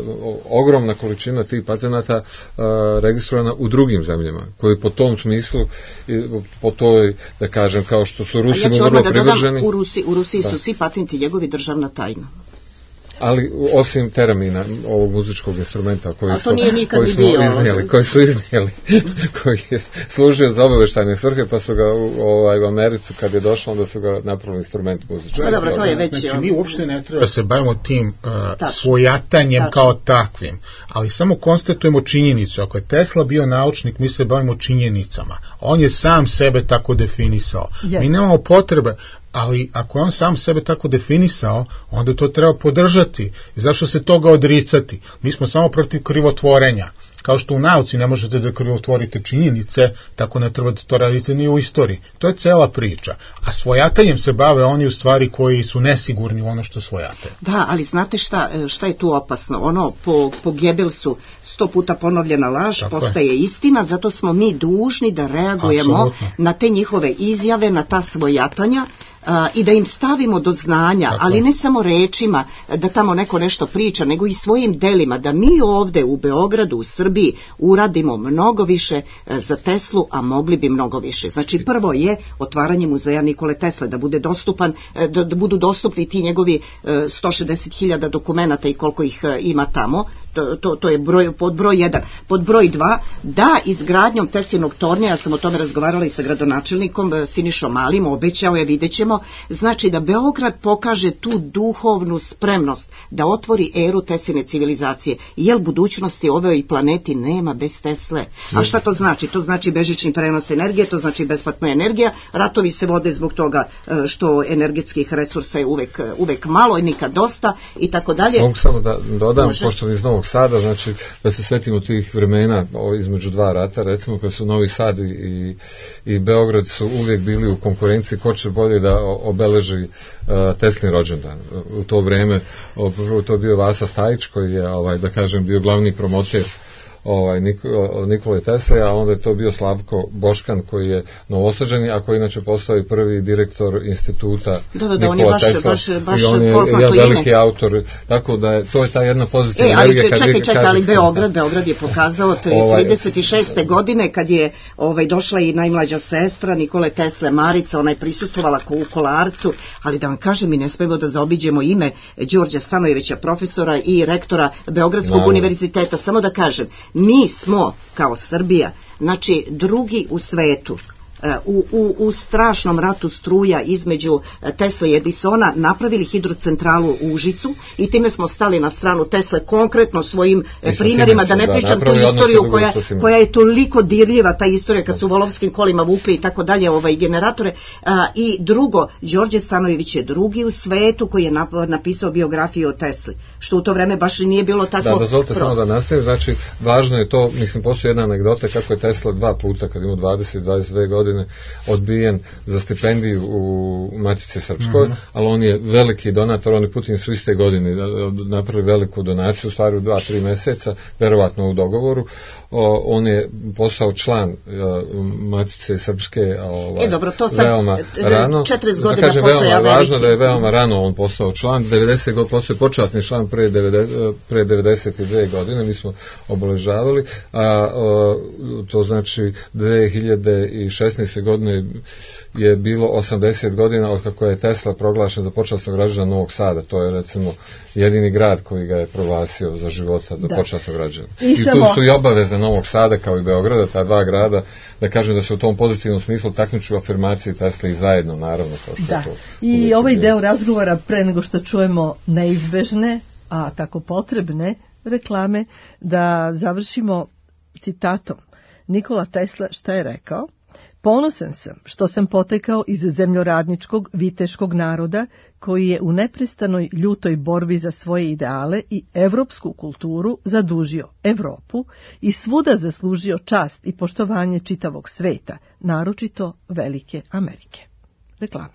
ogromna količina tih patenata registrovana u drugim zemljama, koji po tom smislu, po toj, da kažem, kao što su Rusi vrlo privrženi. U Rusiji su svi patenti njegovi državna tajna. Ali osim teramina, ovog muzičkog instrumenta koji su iznijeli, koji je služio za obavještajne svrhe, pa su ga u Americi kad je došlo, onda su ga napravili instrument muzički. Dobro, to je već. Znači, mi uopšte ne treba da se bavimo tim svojatanjem kao takvim, ali samo konstatujemo činjenicu. Ako je Tesla bio naučnik, mi se bavimo činjenicama. On je sam sebe tako definisao. Mi nemamo potrebe, ali ako je on sam sebe tako definisao, onda to treba podržati. I zašto se toga odricati? Mi smo samo protiv krivotvorenja. Kao što u nauci ne možete da krivotvorite činjenice, tako ne treba da to radite ni u istoriji. To je cela priča. A svojatanjem se bave oni u stvari koji su nesigurni u ono što svojate. Da, ali znate šta je tu opasno? Ono po Gebelsu 100 puta ponovljena laž postaje istina, zato smo mi dužni da reagujemo na te njihove izjave, na ta svojatanja, i da im stavimo do znanja, ali ne samo rečima da tamo neko nešto priča, nego i svojim delima, da mi ovde u Beogradu, u Srbiji uradimo mnogo više za Teslu, a mogli bi mnogo više. Znači prvo je otvaranje muzeja Nikole Tesle, da bude dostupan, da budu dostupni ti njegovi 160.000 dokumenata i koliko ih ima tamo. To je pod broj 1. Pod broj 2, da izgradnjom Teslinog tornja, ja sam o tome razgovarala i sa gradonačelnikom Sinišom Malim, obećao je, vidjet ćemo, znači da Beograd pokaže tu duhovnu spremnost da otvori eru Tesline civilizacije, jer budućnosti ovoj planeti nema bez Tesle. A šta to znači? To znači bežični prenos energije, to znači besplatna energija, ratovi se vode zbog toga što energetskih resursa je uvek malo i nikad dosta i tako dalje. Mogu samo da dodam, pošto iz Novog Sada, znači da se svetimo tih vremena između dva rata, recimo kad su Novi Sad i Beograd su uvijek bili u konkurenciji ko će bolje da obeleži Teslin rođendan. U to vrijeme to je bio Vasa Stajić koji je, da kažem, bio glavni promoter Nikole Tesle, a onda je to bio Slavko Boškan koji je Novosađani, a koji inače postao i prvi direktor instituta Nikola Tesla i on je veliki autor, tako da to je ta jedna pozitivna energija. Čekaj, ali Beograd je pokazao 36. godine kad je došla i najmlađa sestra Nikole Tesle, Marica, ona je prisustvovala u Kolarcu, ali da vam kažem, mi ne smemo da zaobiđemo ime Đorđa Stanojevića, profesora i rektora Beogradskog univerziteta. Samo da kažem, mi smo kao Srbija, znači drugi u svetu, u strašnom ratu struja između Tesle i Edisona napravili hidrocentralu u Užicu i time smo stali na stranu Tesle konkretno svojim primjerima, da ne pričam tu istoriju koja je toliko dirljiva, ta istorija kad su volovskim kolima vukli i tako dalje generatore. I drugo, Đorđe Stanojević je drugi u svetu koji je napisao biografiju o Tesli, što u to vreme baš nije bilo tako prosto. Da, dozvolite samo da nastavim, znači važno je to, mislim, postoji jedna anegdota kako je Tesla 2 puta kad imao 20-22 godine odbijen za stipendiju u Matici Srpskoj, ali on je veliki donator, oni Putin su iste godine napravili veliku donaciju, u stvari u 2-3 mjeseca, verovatno u dogovoru. On je postao član Matice Srpske veoma rano. 40 godina postoja veoma važno da je veoma rano on postao član, 90 godina postao počasni član pre 92 godine, mi smo obeležavali, a to znači 2016. godine je bilo 80 godina od kako je Tesla proglašen za počasnog građana Novog Sada. To je recimo jedini grad koji ga je proglasio za života za počasnog građana. I tu su i obaveze Novog Sada kao i Beograda, ta dva grada, da kažem da se u tom pozitivnom smislu takmiču afirmaciji Tesla i zajedno, naravno. Kao što to i ovaj deo razgovora, pre nego što čujemo neizbežne, a tako potrebne reklame, da završimo citatom. Nikola Tesla šta je rekao? Ponosan sam što sam potekao iz zemljoradničkog viteškog naroda koji je u neprestanoj ljutoj borbi za svoje ideale i evropsku kulturu zadužio Evropu i svuda zaslužio čast i poštovanje čitavog sveta, naročito Velike Amerike. Reklama.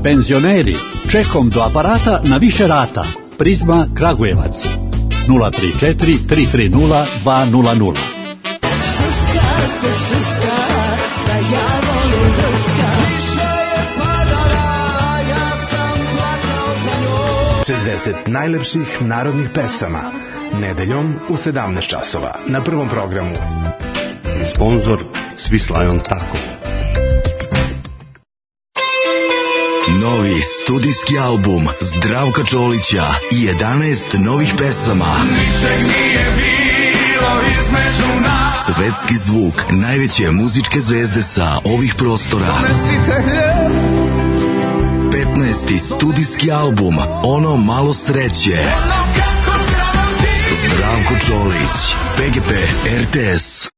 Penzioneri, čekom do aparata na više rata. Prizma Kragujevac 034 330 200. Šuška se šuška, da ja volim drška. Više je padala, ja sam plakao za njom. 60 najlepših narodnih pesama. Nedeljom u 17 časova na Prvom programu. Sponzor Swiss Lion Taco. Novi studijski album Zdravka Čolića i 11 novih pesama. Ničeg nije bilo između nas. Svetski zvuk najveće muzičke zvezde sa ovih prostora. 15. studijski album Ono malo sreće. Zdravko Čolić, PGP RTS.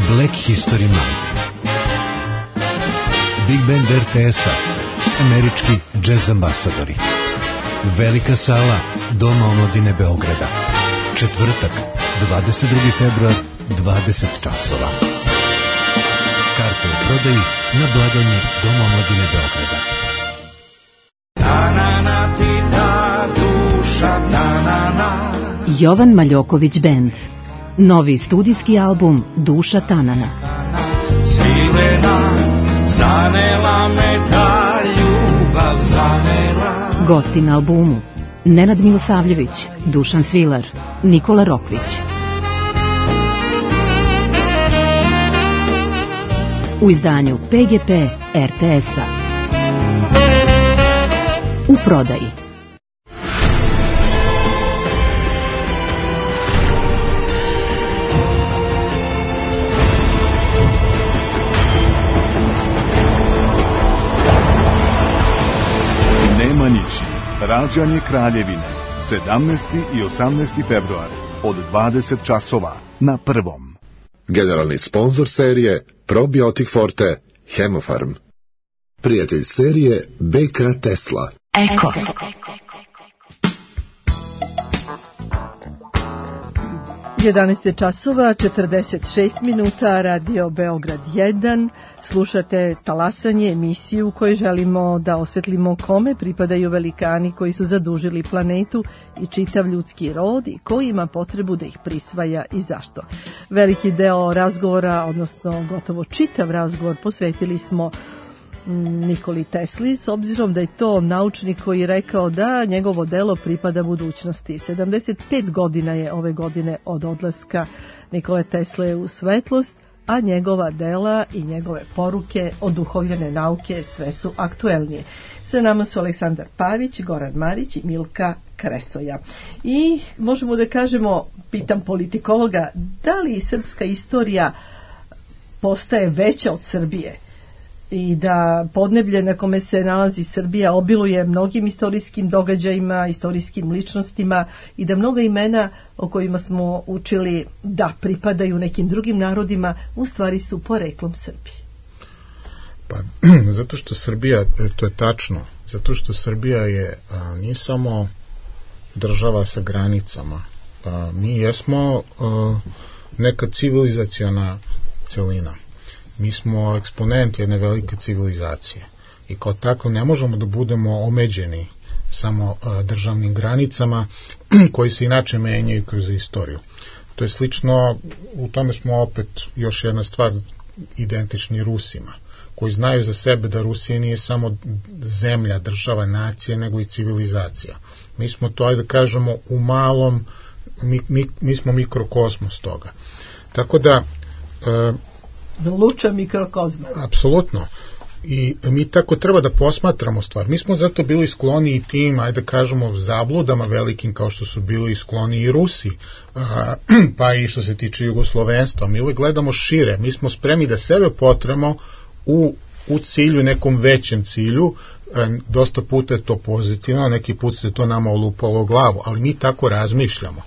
Black History Month. Big Band RTS-a, američki džez ambasadori. Velika sala Doma omladine Beograda. Četvrtak, 22. februar, 20 časova. Karte u prodaji na blagajni Doma omladine Beograda. Ta-na-na ti ta duša, ta-na-na. Jovan Maljoković Band. Novi studijski album Duša Tanana. Svilena, zanela me ta ljubav, zanela. Gosti na albumu Nenad Milosavljević, Dušan Svilar, Nikola Rokvić. U izdanju PGP RTS-a. U prodaji. Nemanjići, rađanje Kraljevine, 17. i 18. februar, od 20 časova na Prvom. Generalni sponzor serije Probiotik Forte, Hemofarm. Prijatelj serije BK Tesla. Eko. 11 časova, 46 minuta, Radio Beograd 1. Slušate Talasanje, emisiju u kojoj želimo da osvetlimo kome pripadaju velikani koji su zadužili planetu i čitav ljudski rod i ko ima potrebu da ih prisvaja i zašto. Veliki deo razgovora, odnosno gotovo čitav razgovor, posvetili smo Nikoli Tesli, s obzirom da je to naučnik koji je rekao da njegovo delo pripada budućnosti. 75 godina je ove godine od odlaska Nikole Tesle u svetlost, a njegova dela i njegove poruke oduhovljene nauke sve su aktuelnije. Sa nama su Aleksandar Pavić, Goran Marić i Milka Kresoja. I možemo da kažemo, pitam politikologa, da li srpska istorija postaje veća od Srbije? I da podneblje na kome se nalazi Srbija obiluje mnogim istorijskim događajima, istorijskim ličnostima i da mnoga imena o kojima smo učili da pripadaju nekim drugim narodima u stvari su poreklom Srbije. Pa, zato što Srbija, to je tačno, zato što Srbija je nije samo država sa granicama. Mi jesmo neka civilizaciona celina. Mi smo eksponent jedne velike civilizacije i kao tako ne možemo da budemo omeđeni samo državnim granicama koji se inače menjaju kroz istoriju. To je slično, u tome smo opet još jedna stvar identični Rusima, koji znaju za sebe da Rusija nije samo zemlja, država, nacija, nego i civilizacija. Mi smo to, ajde da kažemo, u malom, mi smo mikrokosmos toga. Tako da luča mikrokozma. Apsolutno. I mi tako treba da posmatramo stvar. Mi smo zato bili skloni i tim, ajde da kažemo, zabludama velikim kao što su bili skloni i Rusi, pa i što se tiče jugoslovenstva. Mi uvijek gledamo šire. Mi smo spremni da sebe potremo u cilju, nekom većem cilju. Dosta puta je to pozitivno, neki put se to nama olupalo u glavu, ali mi tako razmišljamo.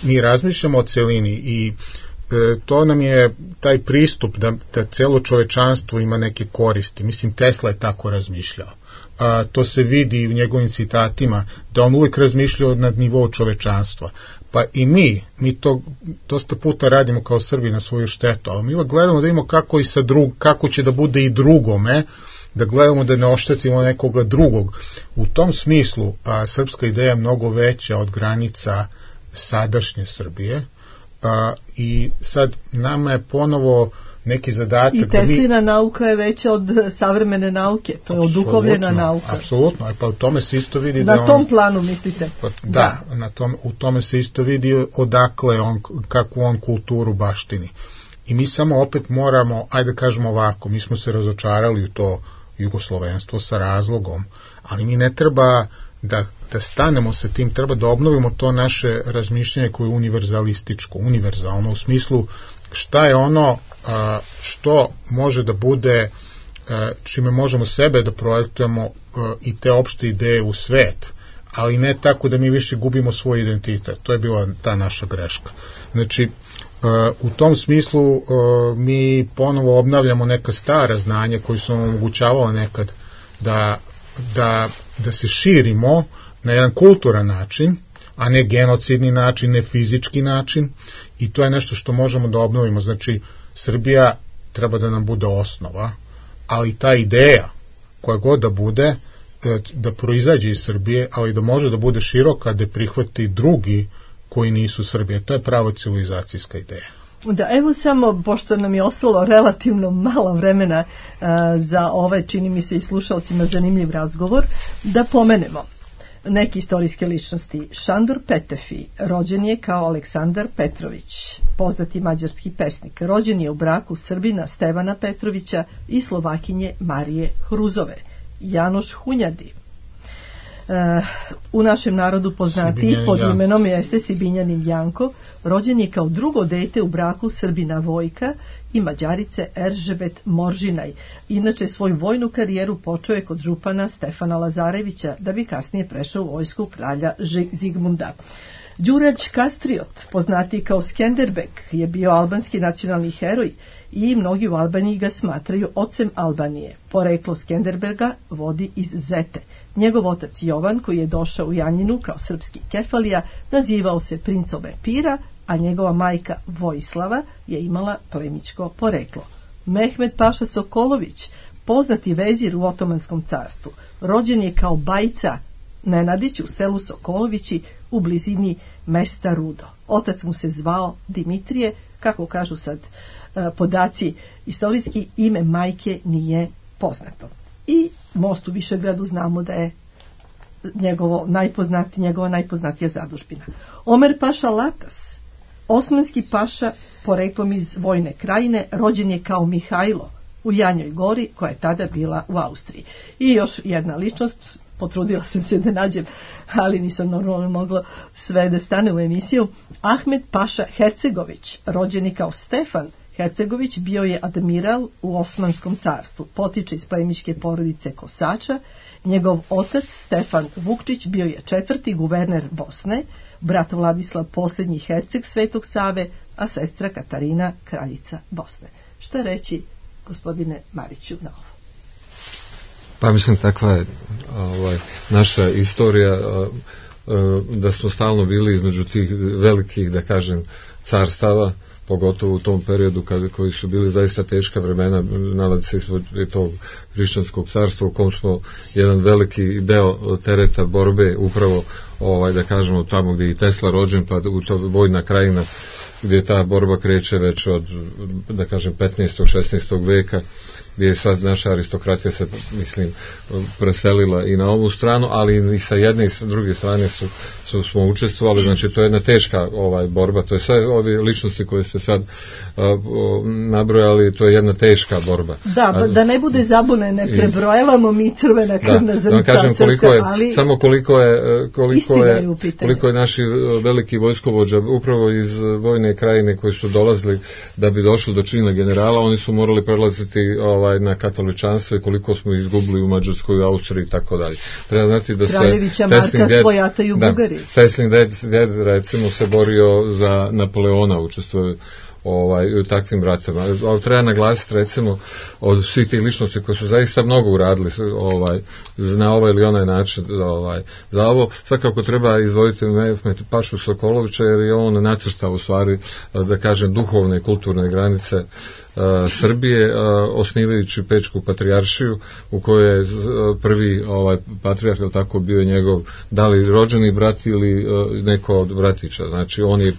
Mi razmišljamo o celini i to nam je taj pristup da celo čovečanstvo ima neke koristi. Mislim, Tesla je tako razmišljao. To se vidi u njegovim citatima, da on uvijek razmišljao nad nivou čovečanstva. Pa i mi to dosta puta radimo kao Srbi na svoju štetu, ali mi uvijek gledamo da imamo kako će da bude i drugome, da gledamo da ne oštetimo nekoga drugog. U tom smislu srpska ideja je mnogo veća od granica sadašnje Srbije i sad nama je ponovo neki zadatak. I Teslina nauka je veća od savremene nauke, to je oduhovljena nauka. Apsolutno, pa u tome se isto vidi na tom planu mislite? Da, u tome se isto vidi odakle kakvu on kulturu baštini. I mi samo opet moramo, ajde kažemo ovako, mi smo se razočarali u to jugoslovenstvo sa razlogom, ali mi ne treba da stanemo sa tim, treba da obnovimo to naše razmišljanje koje je univerzalno u smislu šta je ono što može da bude, čime možemo sebe da projektujemo i te opšte ideje u svet, ali ne tako da mi više gubimo svoj identitet. To je bila ta naša greška. Znači, u tom smislu mi ponovo obnavljamo neka stara znanja koji su nam omogućavala nekad da se širimo na jedan kulturan način, a ne genocidni način, ne fizički način, i to je nešto što možemo da obnovimo. Znači, Srbija treba da nam bude osnova, ali ta ideja koja god da bude, da proizađe iz Srbije, ali da može da bude široka, da prihvati drugi koji nisu Srbije. To je prava civilizacijska ideja. Da, evo samo, pošto nam je ostalo relativno malo vremena za ovaj, čini mi se i slušalcima zanimljiv razgovor, da pomenemo neke istorijske ličnosti. Šandor Petefi rođen je kao Aleksandar Petrović, poznati mađarski pesnik. Rođen je u braku Srbina Stevana Petrovića i Slovakinje Marije Hruzove. Janoš Hunjadi, u našem narodu poznati pod imenom jeste Sibinjanin Janko, rođen je kao drugo dete u braku Srbina Vojka i Mađarice Eržebet Moržinaj. Inače, svoju vojnu karijeru počeo je kod župana Stefana Lazarevića, da bi kasnije prešao u vojsku kralja Zigmunda. Đurađ Kastriot, poznati kao Skenderbeg, je bio albanski nacionalni heroj i mnogi u Albaniji ga smatraju ocem Albanije. Poreklo Skenderbega vodi iz Zete. Njegov otac Jovan, koji je došao u Janjinu kao srpski kefalija, nazivao se Princove Pira, a njegova majka Vojislava je imala plemićko poreklo. Mehmed Paša Sokolović, poznati vezir u Otomanskom carstvu, rođen je kao Bajca Nenadić u selu Sokolovići u blizini mesta Rudo. Otac mu se zvao Dimitrije, kako kažu sad podaci istorijski, ime majke nije poznato. I most u Višegradu znamo da je njegova najpoznatija zadužbina. Omer Paša Latas, osmanski paša poreklom iz Vojne Krajine, rođen je kao Mihajlo u Janjoj Gori, koja je tada bila u Austriji. I još jedna ličnost, potrudila sam se da nađem, ali nisam normalno mogla sve da stane u emisiju. Ahmed Paša Hercegović, rođen je kao Stefan Hercegović, bio je admiral u Osmanskom carstvu. Potiče iz plemićke porodice Kosača. Njegov otac Stefan Vukčić bio je 4. guverner Bosne, brat Vladislav posljednji herceg Svetog Save, a sestra Katarina kraljica Bosne. Šta reći, gospodine Mariću, na ovo? Pa mislim, takva je naša istorija, da smo stalno bili između tih velikih, da kažem, carstava, pogotovo u tom periodu koji su bili zaista teška vremena, nalazi se ispod tog hrišćanskog carstva u kom smo jedan veliki deo tereta borbe upravo, da kažemo, tamo gdje je i Tesla rođen, pa u to Vojna Krajina, gdje ta borba kreće već od, da kažem, 15. 16. veka, gdje je sad naša aristokratija se, mislim, preselila i na ovu stranu, ali i sa jedne i sa druge strane smo učestvovali. Znači, to je jedna teška borba, to je sve ove ličnosti koje ste sad nabrojali, to je jedna teška borba. Da, da ne bude zabune, ne prebrojavamo mi crvena krvna zrnca, kažem ali samo koliko je naši veliki vojskovođa upravo iz Vojne Krajine koji su dolazili da bi došli do čina generala, oni su morali prelaziti na katoličanstvo i koliko smo izgubili u Mađarskoj, u Austriji i tako dalje. Treba znati da Kraljevića Marka svojataju Bugari. Teslin ded recimo se borio za Napoleona, učestvuje u takvim ratovima. Ali treba naglasiti recimo od svih tih ličnosti koji su zaista mnogo uradili na ovaj ili onaj način za ovo. Svakako treba izdvojiti Mehmet Pašu Sokolovića, jer je on nacrtao u stvari, da kažem, duhovne i kulturne granice Srbije, osnivajući Pečku patrijaršiju, u kojoj je prvi patrijarh, tako bio je njegov, da li rođeni brat ili neko od bratića. Znači on je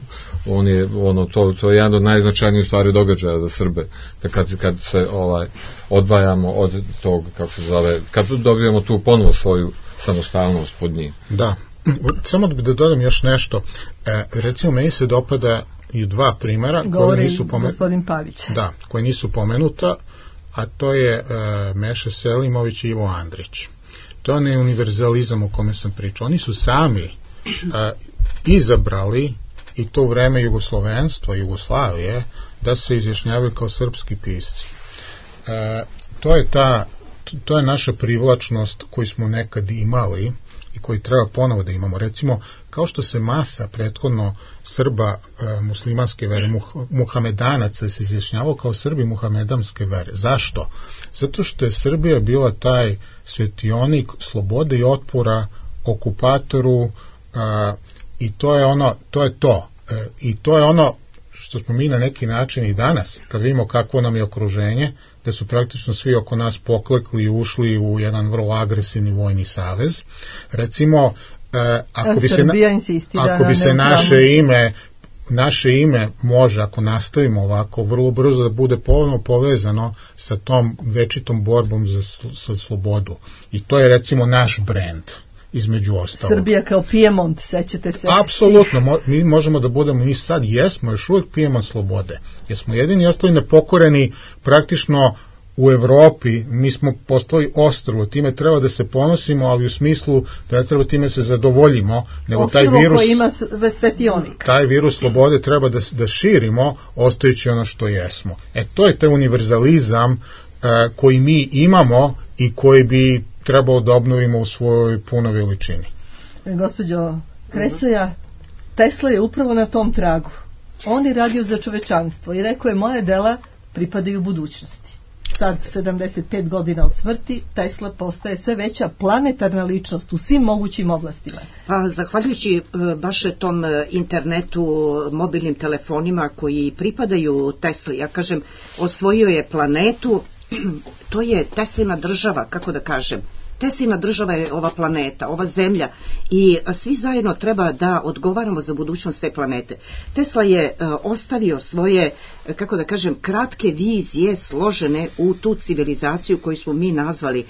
to je jedan od najznačajnijih stvari događaja za Srbe, da kad se odvajamo od tog, kako se zove, kad dobijemo tu ponovo svoju samostalnost pod njim. Da, samo da dodam još nešto. Recimo, meni se dopada i dva primjera koji nisu pomenuta, a to je Meša Selimović i Ivo Andrić. To je univerzalizam o kome sam pričao. Oni su sami izabrali, i to u vreme jugoslovenstva, Jugoslavije, da se izjašnjavaju kao srpski pisci. To je naša privlačnost koju smo nekad imali i koji treba ponovo da imamo. Recimo, kao što se masa prethodno Srba muslimanske vere, muhamedanaca, se izjašnjavao kao Srbi muhamedamske vere. Zašto? Zato što je Srbija bila taj svetionik slobode i otpora okupatoru, i to je to. I to je ono što smo mi na neki način i danas, kad vidimo kakvo nam je okruženje, da su praktično svi oko nas poklekli i ušli u jedan vrlo agresivni vojni savez. Recimo, ako bi se naše ime može, ako nastavimo ovako, vrlo brzo da bude ponovno povezano sa tom večitom borbom za slobodu. I to je recimo naš brend, između ostalog. Srbija kao Pijemont, sećate se? Apsolutno, mi možemo da budemo, mi sad jesmo još uvijek Pijemont slobode. Jer smo jedini ostali nepokoreni praktično u Evropi, mi smo postali ostrvo, time treba da se ponosimo, ali u smislu da ne treba time se zadovoljimo, nego taj virus slobode treba da širimo, ostajući ono što jesmo. To je taj univerzalizam koji mi imamo i koji bi trebalo da obnovimo u svojoj punoj veličini. Gospođo Kresoja, Tesla je upravo na tom tragu. On je radio za čovečanstvo i rekao je: moje dela pripadaju budućnosti. Sad, 75 godina od smrti, Tesla postaje sve veća planetarna ličnost u svim mogućim oblastima. Pa, zahvaljujući baš tom internetu, mobilnim telefonima koji pripadaju Tesli, ja kažem, osvojio je planetu, to je Teslina država, kako da kažem. Teslina država je ova planeta, ova zemlja, i svi zajedno treba da odgovaramo za budućnost te planete. Tesla je ostavio svoje, kako da kažem, kratke vizije složene u tu civilizaciju koju smo mi nazvali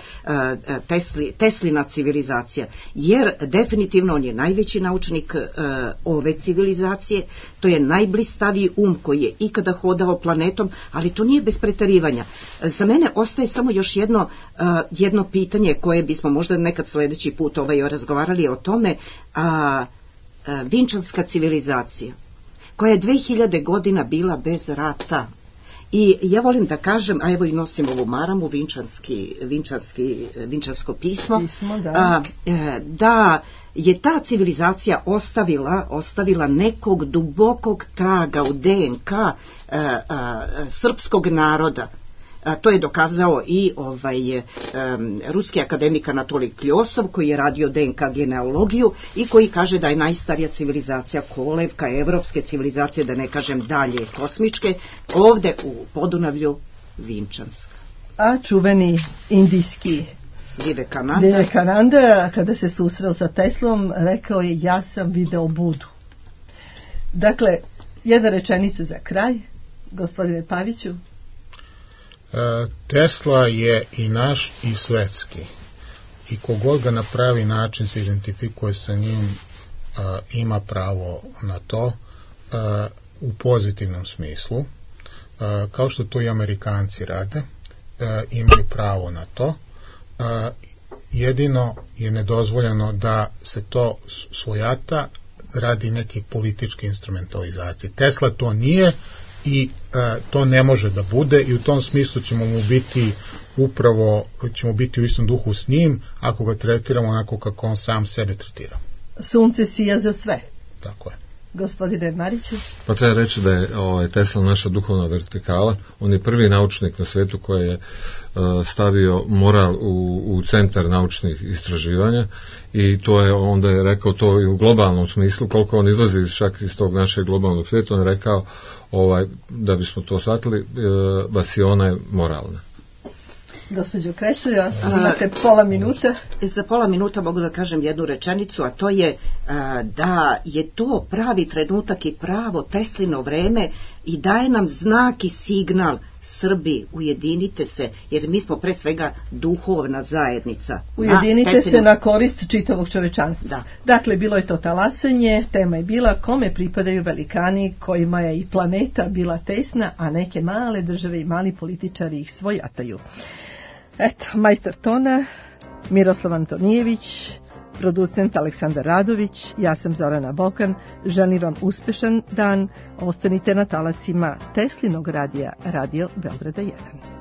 Teslina civilizacija, jer definitivno on je najveći naučnik ove civilizacije, to je najblistaviji koji je ikada hodao planetom, ali to nije bez preterivanja. Za mene ostaje samo još jedno pitanje koje bismo možda nekad sljedeći put razgovarali o tome, Vinčanska civilizacija, koja je 2000 godina bila bez rata. I ja volim da kažem, a evo i nosim ovu maramu, vinčansko pismo, da je ta civilizacija ostavila nekog dubokog traga u DNK srpskog naroda. To je dokazao i ruski akademik Anatolij Kljosov, koji je radio DNK genealogiju i koji kaže da je najstarija civilizacija kolevka evropske civilizacije, da ne kažem dalje kosmičke, ovde u Podunavlju Vinčanska. A čuveni indijski Vivekananda, kada se susreo sa Teslom, rekao je: ja sam video Budu. Dakle, jedna rečenica za kraj, gospodine Paviću. Tesla je i naš i svetski, i kogod ga na pravi način se identifikuje sa njim, ima pravo na to, u pozitivnom smislu, kao što to i Amerikanci rade, imaju pravo na to. Jedino je nedozvoljeno da se to svojata radi neke političke instrumentalizacije. Tesla to nije i to ne može da bude, i u tom smislu ćemo biti u istom duhu s njim ako ga tretiramo onako kako on sam sebe tretira. Sunce sija za sve. Tako je. Gospodine Mariću? Pa treba reći da je Tesla naša duhovna vertikala. On je prvi naučnik na svijetu koji je stavio moral u centar naučnih istraživanja i to je, onda je rekao to i u globalnom smislu, koliko on izlazi čak iz tog našeg globalnog svijeta, on je rekao da bismo to shvatili, vasiona je moralna. Gospođo Kresuja, imate pola minuta. Za pola minuta mogu da kažem jednu rečenicu, a to je da je to pravi trenutak i pravo Teslino vreme i daje nam znak i signal: Srbi, ujedinite se, jer mi smo pre svega duhovna zajednica. Ujedinite se na korist čitavog čovečanstva. Da. Dakle, bilo je to talasanje, tema je bila kome pripadaju velikani kojima je i planeta bila tesna, a neke male države i mali političari ih svojataju. Eto, majstor tona Miroslav Antonijević, producent Aleksandar Radović, ja sam Zorana Bokan, želim vam uspešan dan, ostanite na talasima Teslinog radija, Radio Beograda 1.